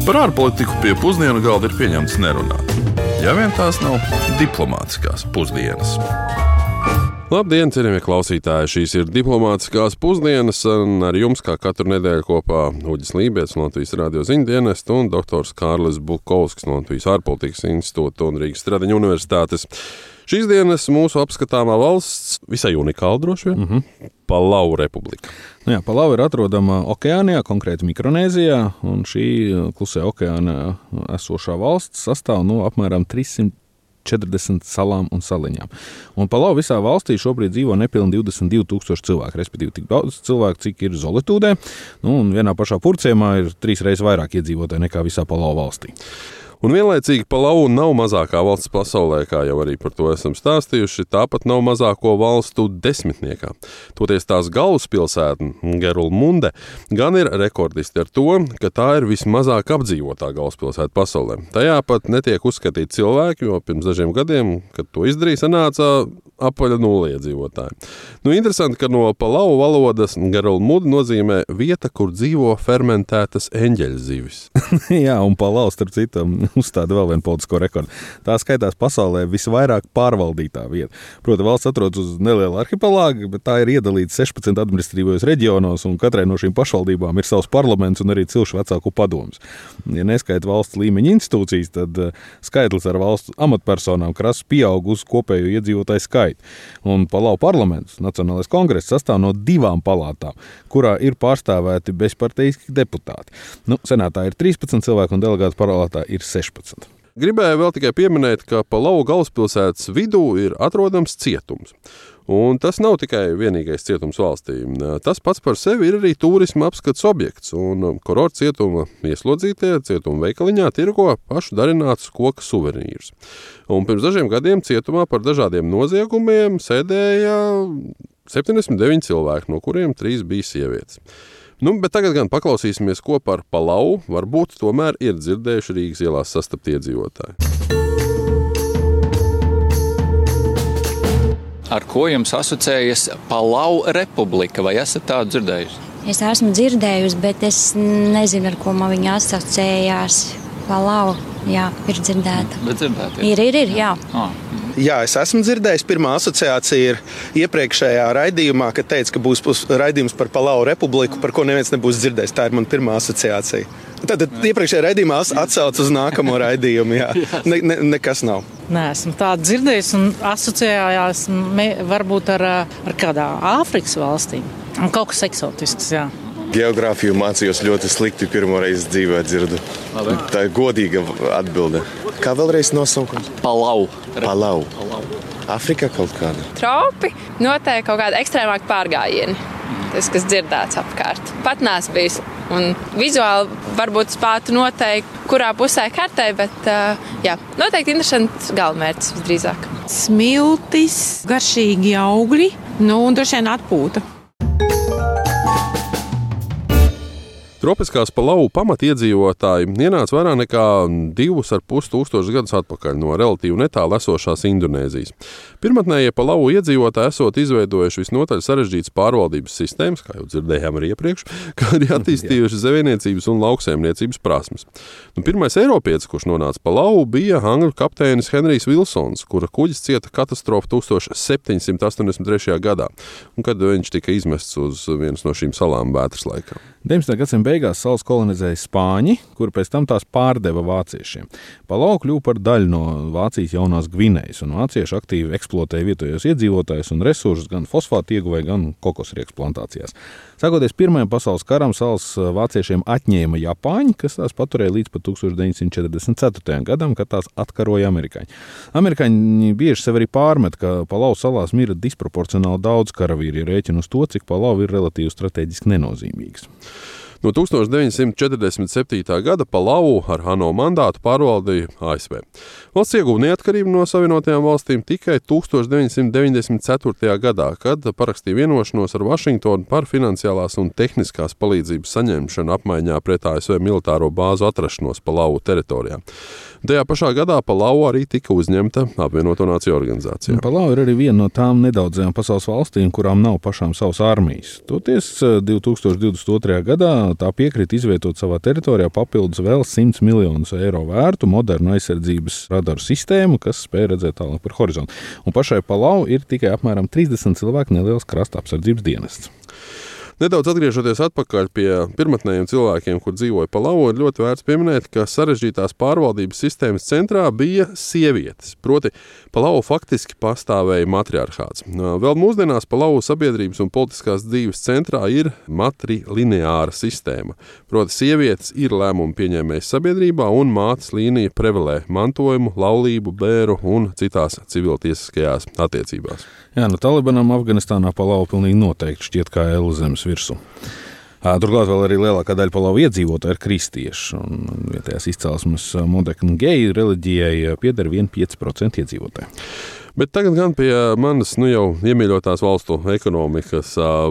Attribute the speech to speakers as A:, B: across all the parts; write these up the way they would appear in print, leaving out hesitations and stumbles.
A: Par ārpolitiku pie pusdienu galda ir pieņemts nerunāt. Ja vien tās nav diplomātiskās pusdienas.
B: Labdien, cienījamie klausītāji! Šīs ir diplomātiskās pusdienas, un ar jums kā katru nedēļu kopā Uģis Lībijams no Latvijas radio ziņdienestu un doktors Kārlis Bukovskis no Latvijas ārpolitikas institūta un Rīgas Stradiņu universitātes. Šīs dienas mūsu apskatāmā valsts visai unikāla droši vien. Palau republika.
C: Jā, Palau ir atrodama okeānijā, konkrēti Mikronēzijā, un šī klusajā okeānā esošā valsts sastāv no apmēram 340 salām un saliņām. Un Palau visā valstī šobrīd dzīvo nepilni 22,000 cilvēku, respektīvi tik daudz cilvēku, cik ir Zolitūdē, un vienā pašā Purciemā ir 3 reizes vairāk iedzīvotāji nekā visā Palau valstī.
B: Un vienlaicīgi Palau nav mazākā valsts pasaulē, kā jau arī par to esam stāstījuši, tāpat nav mazāko valstu desmitniekā. Toties tās galvaspilsēta, Gerulmunde, gan ir rekordisti ar to, ka tā ir vismazāk apdzīvotā galvaspilsēta pasaulē. Tajā pat netiek uzskatīti cilvēki, jo pirms dažiem gadiem, kad to izdarīja, sanāca apaļa nulle iedzīvotāji. Interesanti, ka no Palau valodas Gerulmunde nozīmē vieta, kur dzīvo fermentētas eņģeļzivis.
C: Jā, un Palau, starp citu, uzstāda vēl vienu politisko rekordu. Tā skaitās pasaulē visvairāk pārvaldītā vieta. Proti, valsts atrodas uz neliela arhipelāga, bet tā ir iedalīta 16 administratīvos reģionos, un katrai no šīm pašvaldībām ir savs parlaments un arī cilšu vecāku padomus. Ja neskaita valsts līmeņa institūcijas, tad skaitlis ar valsts amatpersonām krasi pieaug uz kopējo iedzīvotāju skaitu. Un Palau parlaments, Nacionālais kongress, sastāv no 2 palātām, kurā ir pārstāvēti bezparteiski deputāti. Senātā ir 13 cilvēku un delegātu palātā ir 16.
B: Gribēju vēl tikai pieminēt, ka Palau galvaspilsētas vidū ir atrodams cietums. Un tas nav tikai vienīgais cietums valstī. Tas pats par sevi ir arī turisma apskats objekts, un kurorta cietuma ieslodzītie cietuma veikaliņā tirgo pašu darinātus koka suvenīrus. Un pirms dažiem gadiem cietumā par dažādiem noziegumiem sēdēja 79 cilvēki, no kuriem 3 bija sievietes. Bet tagad gan paklausīsimies, ko par Palau varbūt tomēr ir dzirdējuši Rīgas ielās sastapti iedzīvotāji.
D: Ar ko jums asociējas Palau republika, vai esat tādu dzirdējusi?
E: Es esmu dzirdējusi, bet es nezinu, ar ko man viņa asociējās. Palau, jā, ir dzirdēta.
D: Bet dzirdēta?
E: Ir, jā.
F: Jā, es esmu dzirdējis. Pirmā asociācija ir iepriekšējā raidījumā, kad teica, ka būs raidījums par Palau republiku, par ko neviens nebūs dzirdējis. Tā ir mana pirmā asociācija. Tad iepriekšējā raidījumā atsauc uz nākamo raidījumu. Jā. Nekas nav.
G: Nē, esmu tādu dzirdējis un asociējās varbūt ar kādā Āfrikas valstīm. Un kaut kas eksotisks, jā.
H: Geogrāfiju mācījos ļoti slikti, pirmo reizi dzīvē dzirdu. Tā ir godīga atbilde. Kā vēlreiz nosaukums?
D: Palau.
H: Afrikā kaut kāda.
I: Tropi noteikti kaut kāda ekstrēmāka pārgājieni. Tas, kas dzirdēts apkārt. Pat nāc bijis. Un vizuāli varbūt spētu noteikt, kurā pusē kartē, bet jā, noteikti interesants galamērķis visdrīzāk.
G: Smiltis, garšīgi augļi, un droši vien atpūta.
B: Tropiskās Palau pamatiedzīvotāji ienāca vairāk nekā 2,5 tūkstošus gadus atpakaļ no relatīvi netālu esošās Indonēzijas. Pirmatnējie Palau iedzīvotāji esot izveidojuši visnotaļ sarežģītas pārvaldības sistēmas, kā jau dzirdējām arī iepriekš, kā arī attīstījuši zvejniecības un lauksaimniecības prasmes. Pirmais eiropietis, kurš nonāca Palau, bija angļu kapteinis Henrijs Vilsons, kura kuģis cieta katastrofu 1783. gadā, un kad viņš tika izmests uz vienas no šīm salām vētras laikā.
C: 19. gadsimta beigās salas kolonizēja Spāņi, kuri pēc tam tās pārdeva vāciešiem. Palau kļuva par daļu no Vācijas jaunās Gvinejas, un vācieši aktīvi eksploatēja vietējos iedzīvotājus un resursus gan fosfātu ieguvē, gan kokosriekstu plantācijās. Sākoties Pirmajam pasaules karam, salas vāciešiem atņēma Japāņi, kas tās paturēja līdz pat 1944. gadam, kad tās atkaroja amerikāņi. Amerikāņi bieži sev arī pārmet, ka Palau salās mira disproporcionāli daudz karavīri, ja rēķina uz to, cik Palau ir relatīvi strateģiski nenozīmīgs.
B: No 1947. gada Palau ar ANO mandātu pārvaldīja ASV. Valsts ieguva neatkarību no Savienotajām valstīm tikai 1994. gadā, kad parakstīja vienošanos ar Vašingtonu par finansiālās un tehniskās palīdzības saņemšanu apmaiņā pret ASV militāro bāzu atrašanos Palau teritorijā. Tajā pašā gadā Palau arī tika uzņemta Apvienoto Nāciju organizācijā.
C: Palau ir arī viena no tām nedaudzajām pasaules valstīm, kurām nav pašām savas armijas. Toties 2022. gadā tā piekrita izvietot savā teritorijā papildus vēl 100 miljonus eiro vērtu modernu aizsardzības radaru sistēmu, kas spēj redzēt tālāk par horizontu. Un pašai Palau ir tikai apmēram 30 cilvēku neliels krasta apsardzības dienests.
B: Nedaudz atgriežoties atpakaļ pie pirmotnējiem cilvēkiem, kur dzīvoja Palau, ir ļoti vērts pieminēt, ka sarežģītās pārvaldības sistēmas centrā bija sievietes. Proti, Palau faktiski pastāvēja matriarchāts. Vēl mūsdienās Palau sabiedrības un politiskās dzīves centrā ir matrilineāra sistēma. Proti, sievietes ir lēmumu pieņēmējas sabiedrībā un mātes līnija prevalē mantojumu, laulību, bēru un citās civiltiesiskajās attiecībās.
C: Jā, Talibanam Afganistānā Palau pilnīgi noteikti šķiet kā ēlu zemes virsū. Turklāt vēl arī lielākā daļa Palau iedzīvotāji ir kristieši, un vietējās izcelsmes modeknu geju reliģijai pieder 1,5% iedzīvotāji.
B: Bet tagad gan pie manas jau iemīļotās valstu ekonomikas.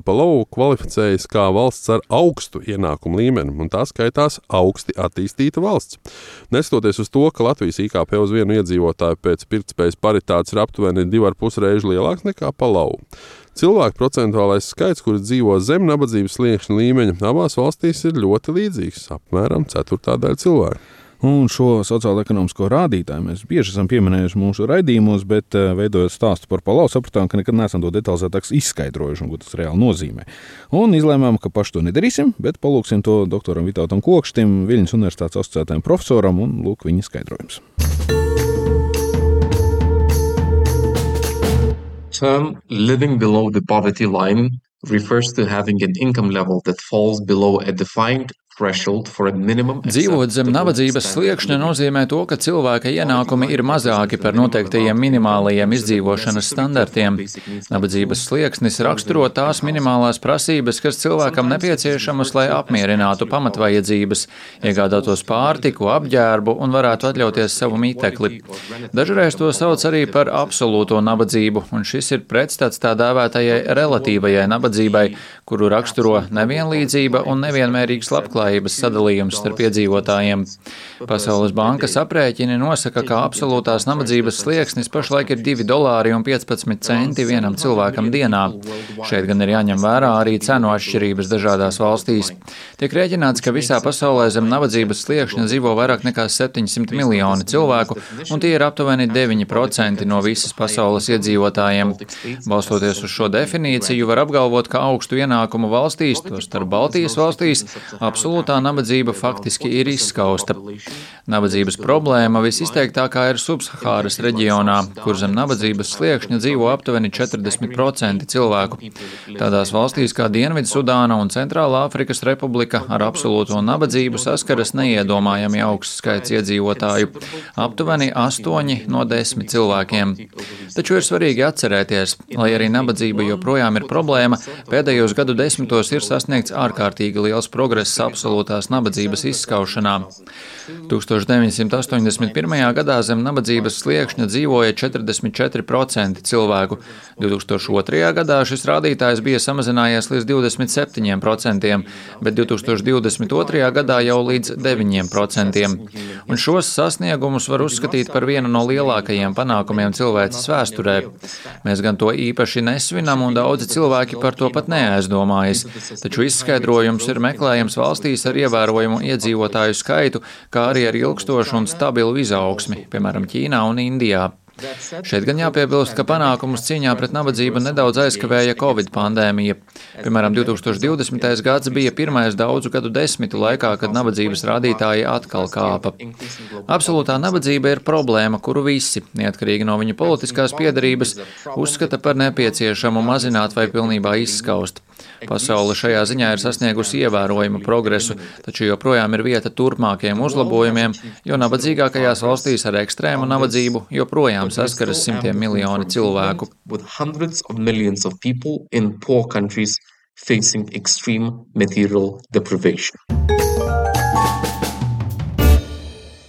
B: Palau kvalificējas kā valsts ar augstu ienākumu līmeni, un tā skaitās augsti attīstīta valsts. Neskatoties uz to, ka Latvijas IKP uz vienu iedzīvotāju pēc pirktspējas paritātes ir aptuveni 2,5 reižu lielāks nekā Palau. Cilvēku procentuālais skaits, kuri dzīvo zem nabadzības sliekšņa līmeņa, abās valstīs ir ļoti līdzīgs, apmēram 1/4 cilvēku.
C: Un šo sociālo-ekonomisko rādītāju mēs bieži esam pieminējuši mūsu raidījumos, bet veidojot stāstu par Palau, sapratām, ka nekad neesam to detalizētāk izskaidrojuši, ko tas reāli nozīmē. Un izlēmām, ka paši to nedarīsim, bet palūksim to doktoram Vitautam Kokštim, Viļņas universitātes asociētajam profesoram, un lūk viņa skaidrojums.
J: Term living below the poverty line refers to having an income level that falls below a defined
D: Dzīvot zem nabadzības sliekšņa nozīmē to, ka cilvēka ienākumi ir mazāki par noteiktajiem minimālajiem izdzīvošanas standartiem. Nabadzības slieksnis raksturo tās minimālās prasības, kas cilvēkam nepieciešamas, lai apmierinātu pamatvajadzības, iegādātos pārtiku, apģērbu un varētu atļauties savu mītekli. Dažreiz to sauc arī par absolūto nabadzību, un šis ir pretstats tā dēvētajai relatīvajai nabadzībai, kuru raksturo nevienlīdzība un nevienmērīgs labklājības sadalījums starp iedzīvotājiem. Pasaules bankas aprēķini nosaka, ka absolūtās nabadzības slieksnis pašlaik ir $2,15 vienam cilvēkam dienā. Šeit gan ir jāņem vērā arī cenu atšķirības dažādās valstīs. Tiek rēķināts, ka visā pasaulē zem nabadzības sliekšņa dzīvo vairāk nekā 700 miljoni cilvēku, un tie ir aptuveni 9% no visas pasaules iedzīvotājiem. Balstoties uz šo definīciju, var apgalvot, ka augstu ienākumu valstīs, to starp Baltijas valstīs, absolūtā nabadzība faktiski ir izskausta. Nabadzības problēma visizteiktākā ir Subsahāras reģionā, kur zem nabadzības sliekšņa dzīvo aptuveni 40% cilvēku. Tādās valstīs kā Dienvidsudāna un Centrālā Afrikas Republika ar absolūto nabadzību saskaras neiedomājami augsts skaits iedzīvotāju - aptuveni 8 no 10 cilvēkiem. Taču ir svarīgi atcerēties, lai arī nabadzība joprojām ir problēma, pēdējos gadu desmitos ir sasniegts ārkārtīgi liels progress absolūtās nabadzības izskaušanā. 1981. gadā zem nabadzības sliekšņa dzīvoja 44% cilvēku. 2002. gadā šis rādītājs bija samazinājies līdz 27%, bet 2022. gadā jau līdz 9%. Un šos sasniegumus var uzskatīt par vienu no lielākajiem panākumiem cilvēces vēsturē. Mēs gan to īpaši nesvinam, un daudzi cilvēki par to pat neaizdomājas, taču izskaidrojums ir meklējams valstīs ar ievērojumu iedzīvotāju skaitu, kā arī ar ilgstošu un stabilu izaugsmi, piemēram, Ķīnā un Indijā. Šeit gan jāpiebilst, ka panākumus cīņā pret nabadzību nedaudz aizkavēja Covid pandēmija. Piemēram, 2020. gads bija pirmais daudzu gadu desmitu laikā, kad nabadzības rādītāji atkal kāpa. Absolūtā nabadzība ir problēma, kuru visi, neatkarīgi no viņu politiskās piedarības, uzskata par nepieciešamu mazināt vai pilnībā izskaust. Pasaule šajā ziņā ir sasniegusi ievērojumu progresu, taču joprojām ir vieta turpmākiem uzlabojumiem, jo nabadzīgākajās valstīs ar ekstrēmu nabadzību joprojām saskaras simtiem miljoni cilvēku.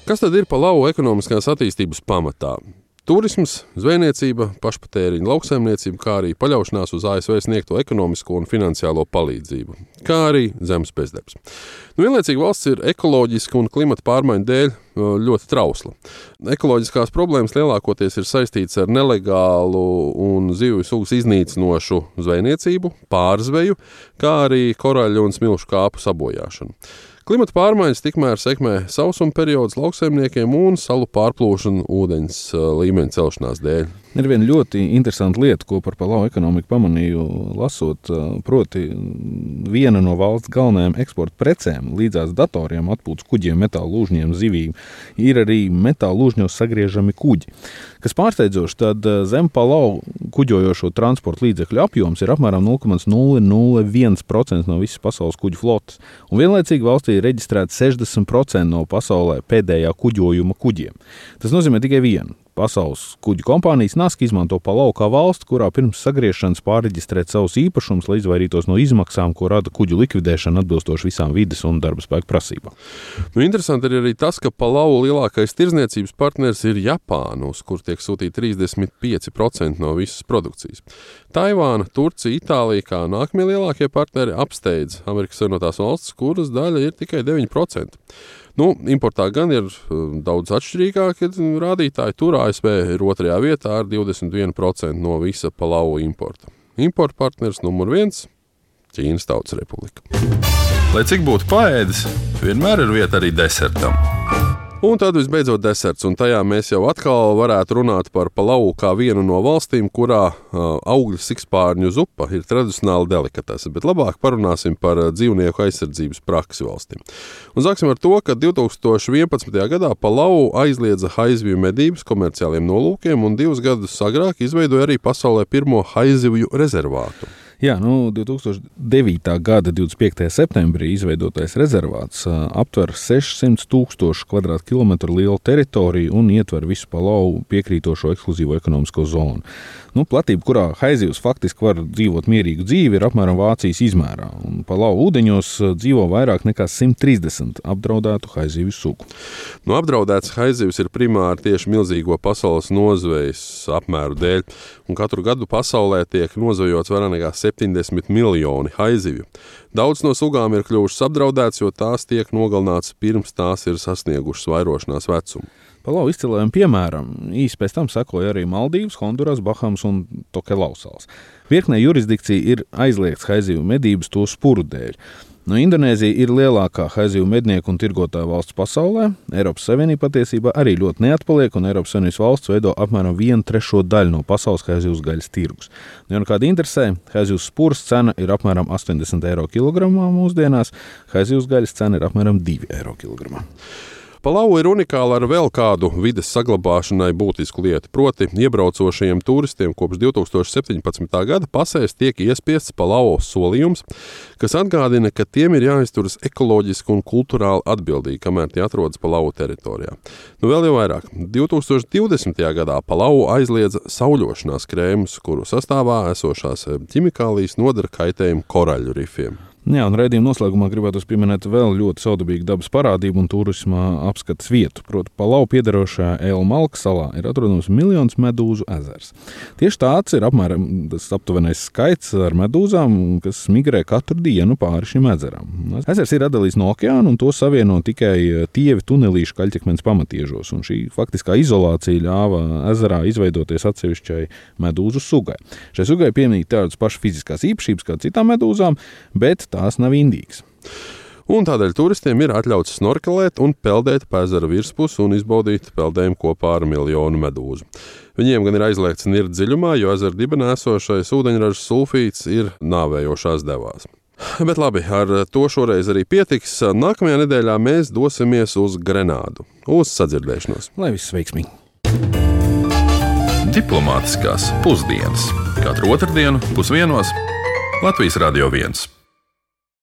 B: Kas tad ir Palau ekonomiskās attīstības pamatā? Turisms, zvejniecība, pašpatēriņa lauksaimniecība, kā arī paļaušanās uz ASV sniegto ekonomisko un finansiālo palīdzību, kā arī zemes bezdarbs. Vienlaicīgi valsts ir ekoloģiska un klimata pārmaiņu dēļ ļoti trausla. Ekoloģiskās problēmas lielākoties ir saistītas ar nelegālu un zivju sugas iznīcinošu zvejniecību, pārzveju, kā arī koraļu un smilšu kāpu sabojāšanu. Klimata pārmaiņas tikmēr sekmē sausuma periods lauksaimniekiem un salu pārplūšanu ūdeņas līmeņa celšanās dēļ.
C: Ir viena ļoti interesanta lieta, ko par Palau ekonomiku pamanīju lasot, proti viena no valsts galvenajām eksporta precēm līdzās datoriem, atpūtas kuģiem, metāla lūžņiem, zivīm, ir arī metāla lūžņos sagriežami kuģi. Kas pārsteidzoši, tad zem Palau kuģojošo transporta līdzekļu apjoms ir apmēram 0,001% no visas pasaules kuģu flotes, un vienlaicīgi valstī ir reģistrēta 60% no pasaulē pēdējā kuģojuma kuģiem. Tas nozīmē tikai vienu. Pasaules kuģu kompānijas Naska izmanto Palau kā valsti, kurā pirms sagriešanas pārreģistrēt savus īpašumus, lai izvairītos no izmaksām, ko rada kuģu likvidēšana atbilstoši visām vides un darba spēku prasībām.
B: Interesanti ir arī tas, ka Palau lielākais tirdzniecības partners ir Japāna, uz kur tiek sūtīti 35% no visas produkcijas. Taivāna, Turcija, Itālija kā nākamie lielākie partneri apsteidz Amerikas Savienotās valstis, kuras daļa ir tikai 9%. Importā gan ir daudz atšķirīgāki rādītāji. Tur ASV ir 2. vietā ar 21% no visa Palau importa. Importa partners numur 1 – Ķīnas Tautas Republika.
A: Lai cik būtu paēdis, vienmēr ir vieta arī desertam.
B: Un tad visbeidzot deserts, un tajā mēs jau atkal varētu runāt par Palau kā vienu no valstīm, kurā augļu sikspārņu zupa ir tradicionāli delikatese, bet labāk parunāsim par dzīvnieku aizsardzības praksi valstīm. Un sāksim ar to, ka 2011. gadā Palau aizliedza haizivju medības komerciāliem nolūkiem un 2 gadus agrāk izveidoja arī pasaulē pirmo haizivju rezervātu.
C: Jā, 2009. gada 25. septembrī izveidotais rezervāts aptver 600,000 kvadrātkilometru lielu teritoriju un ietver visu Palau piekrītošo ekskluzīvo ekonomisko zonu. Platība, kurā haizivs faktiski var dzīvot mierīgu dzīvi, ir apmēram Vācijas izmērā. Un Palau ūdeņos dzīvo vairāk nekā 130 apdraudētu haizivju sugu.
B: Apdraudēts haizivs ir primāri tieši milzīgo pasaules nozvejas apmēru dēļ, un katru gadu pasaulē tiek nozvejots vairāk nekā 70 miljoni haizivju. Daudz no sugām ir kļuvušas apdraudētas, jo tās tiek nogalinātas pirms tās ir sasniegušas vairošanās vecumu.
C: Palau izcilējiem piemēram īsi pēc tam sekoja arī Maldīvas, Honduras, Bahamas un Tokelau salas. Virknē jurisdikcija ir aizliegts haizivju medības to spuru dēļ. Indonēzija ir lielākā haizivju mednieku un tirgotāju valsts pasaulē. Eiropas Savienība patiesībā arī ļoti neatpaliek, un Eiropas Savienības valsts veido apmēram 1/3 daļu no pasaules haizivju gaļas tirgus. Ja kāda interesē, haizivju spuras cena ir apmēram 80 eiro kilogramā mūsdienās, haizivju gaļas cena ir apmēram 2 eiro kilogramā.
B: Palau ir unikāla ar vēl kādu vides saglabāšanai būtisku lietu, proti iebraucošajiem turistiem kopš 2017. gada pasēs tiek iespiests Palau solījums, kas atgādina, ka tiem ir jāizturas ekoloģiski un kulturāli atbildīgi, kamēr tie atrodas Palau teritorijā. Vēl jau vairāk. 2020. gadā Palau aizliedza sauļošanās krēmus, kuru sastāvā esošās ķimikālijas nodara kaitējumu koraļu rifiem.
C: Jā, un raidījuma noslēgumā gribētos pieminēt vēl ļoti saudabīgu dabas parādību un turisma apskates vietu. Proti, Palau piederošajā Elmalka salā ir atrodams miljons medūzu ezers. Tieši tāds ir apmēram tas aptuvenais skaits ar medūzām, kas migrē katru dienu pāri šim ezeram. Ezers ir atdalīts no okeāna un to savieno tikai tievi tunelīšu kaļķekmeņa pamatiežos, un šī faktiskā izolācija ļāva ezerā izveidoties atsevišķai medūzu sugai. Šai sugai piemīt tādas pašas fiziskās īpašības kā citām medūzām, bet tās nav indīgas.
B: Un tādēļ turistiem ir atļauts snorkelēt un peldēt pa ezera virspusi un izbaudīt peldējumu kopā ar miljonu medūzu. Viņiem gan ir aizliegts nirt dziļumā, jo ezera dibenā esošais ūdeņraža sulfīts ir nāvējošās devās. Bet labi, ar to šoreiz arī pietiks. Nākamajā nedēļā mēs dosimies uz Grenādu. Uz sadzirdēšanos.
C: Lai viss veiksmīgi!
A: Diplomātiskās pusdienas. Katru otrdienu 12:00 Latvijas Radio 1.